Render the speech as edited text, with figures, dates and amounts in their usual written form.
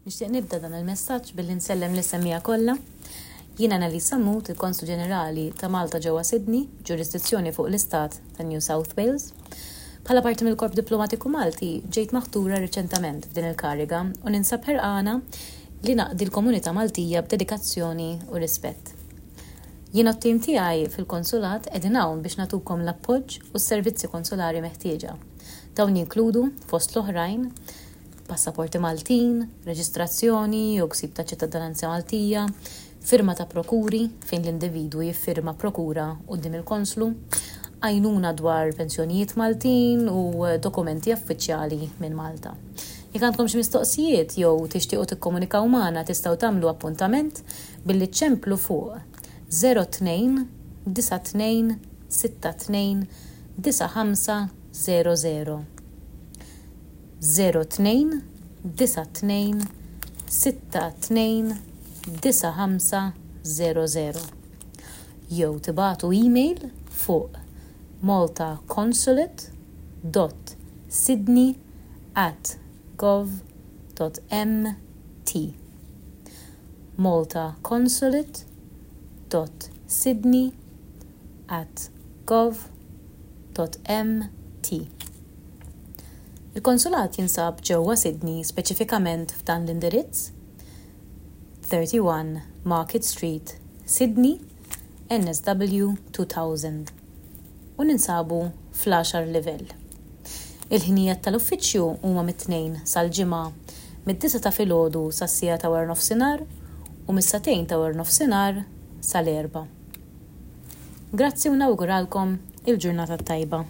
Nixtieq nibda dan il-messaġġ billi nsellem lis-semmiegħa kollha. Jiena Annalise Sammut, il-Konslu Ġenerali ta' Malta ġewwa Sydney, ġurisdizzjoni fuq l-Istat ta' New South Wales. Bħala parti mill-Korp Diplomatiku Malti, ġejt maħtura riċentament f'din il-kariga u ninsab ħerqana li naqdi l-komunità Maltija b'dedikazzjoni u rispett. Jiena u t-tim tiegħi fil-Konsulat qegħdin hawn biex nagħtukom l-appoġġ u s-servizzi konsulari meħtieġa. Dawn jinkludu, fost l-oħrajn, passaporti Maltin, reġistrazzjoni jew ksib ta' ċittadinanza Maltija, firma ta' prokuri, fejn l-individwu jiffirma prokura quddiem il-konslu, għajnuna dwar pensjonijiet Maltin u dokumenti affiċjali minn Malta. Jekk għandkom xi mistoqsijiet jew tixtiequ tikkomunikaw magħna tistgħu tagħmlu appuntament billi ċċemplu fuq 02 92 62 95 00. 02 92 62 95 00 jew tibagħtu email fuq maltaconsulate dot sydney at gov dot mt maltaconsulate dot sydney at gov dot mt. Il-konsulat jinsab ġewwa Sydney speċifikament f'dan l-indirizz, 31 Market Street, Sydney, NSW 2000, u ninsabu fl-għaxar livell. Il-ħinijiet tal-uffiċċju huma mit-Tnejn sal-Ġimgħa mid-disgħa ta' filgħodu sas-siegħa ta' waranofsinhar u mis-sagħtejn ta' waranofsinhar sal-erbgħa. Grazzi u nawguralkom il-ġurnata t-tajba.